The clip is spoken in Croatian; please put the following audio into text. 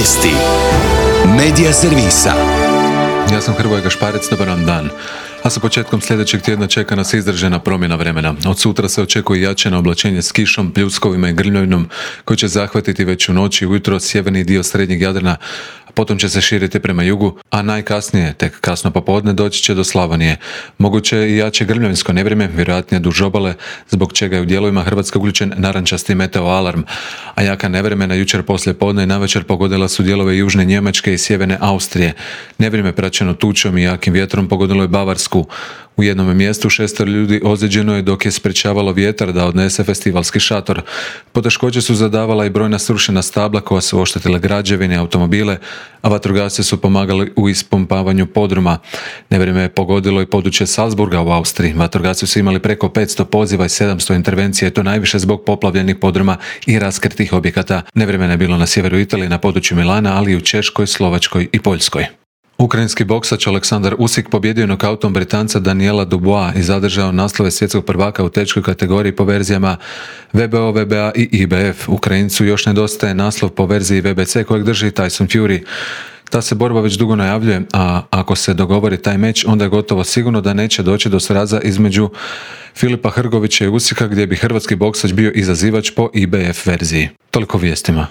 Vijesti Medija servisa. Ja sam Hrvoje Gašparec, dobar vam dan. A sa početkom sljedećeg tjedna čeka nas izražena promjena vremena. Od sutra se očekuje jačeno oblačenje s kišom, pljuskovima i grmljavinom koji će zahvatiti već u noći i ujutro sjeverni dio srednjeg Jadrana, a potom će se širiti prema jugu, a najkasnije, tek kasno popodne, doći će do Slavonije. Moguće je i jače grmljavinsko nevrijeme, vjerojatnije duž obale, zbog čega je u dijelovima Hrvatske uključen narančasti meteo alarm. A jaka nevremena jučer poslije podne i navečer pogodila su dijelove južne Njemačke i sjeverne Austrije. Nevrijeme praćeno tučom i jakim vjetrom pogodilo je Bavarsku. U jednom mjestu 6 ljudi ozlijeđeno je dok je sprečavalo vjetar da odnese festivalski šator. Poteškoće su zadavala i brojna srušena stabla koja su oštetila građevine i automobile, a vatrogasci su pomagali u ispumpavanju podruma. Nevrijeme je pogodilo i područje Salzburga u Austriji. Vatrogasci su imali preko 500 poziva i 700 intervencija, i to najviše zbog poplavljenih podruma i raskrtih objekata. Nevrijeme je bilo na sjeveru Italije, na području Milana, ali i u Češkoj, Slovačkoj i Poljskoj. Ukrajinski boksač Aleksandar Usyk pobjedio nokautom Britanca Daniela Dubois i zadržao naslove svjetskog prvaka u teškoj kategoriji po verzijama WBO, WBA i IBF. Ukrajincu još nedostaje naslov po verziji WBC kojeg drži Tyson Fury. Ta se borba već dugo najavljuje, a ako se dogovori taj meč, onda je gotovo sigurno da neće doći do sraza između Filipa Hrgovića i Usyka, gdje bi hrvatski boksač bio izazivač po IBF verziji. Toliko vijestima.